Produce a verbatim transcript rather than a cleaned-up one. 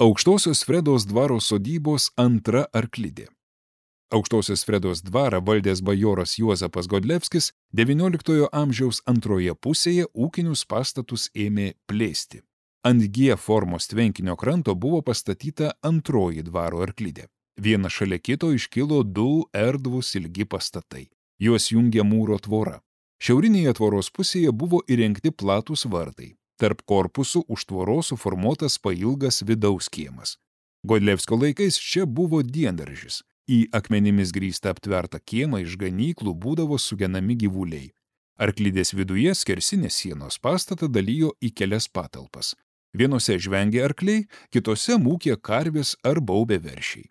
Aukštosios Fredos dvaro sodybos antra arklidė. Aukštosios Fredos dvarą valdęs bajoras Juozapas Godlevskis devynioliktojo amžiaus antroje pusėje ūkinius pastatus ėmė plėsti. Ant G formos tvenkinio kranto buvo pastatyta antroji dvaro arklidė. Viena šalia kito iškilo du erdvūs ilgi pastatai. Juos jungė mūro tvora. Šiaurinėje tvoros pusėje buvo įrengti platūs vartai. Tarp korpusų už tvoros suformuotas pailgas vidaus kiemas. Godlevskio laikais čia buvo diendaržis. Į akmenimis grįstą aptvertą kiemą iš ganyklų būdavo sugenami gyvuliai. Arklidės viduje skersinės sienos pastatą dalijo į kelias patalpas. Vienose žvengė arkliai, kitose mūkė karvės ar baubė veršiai.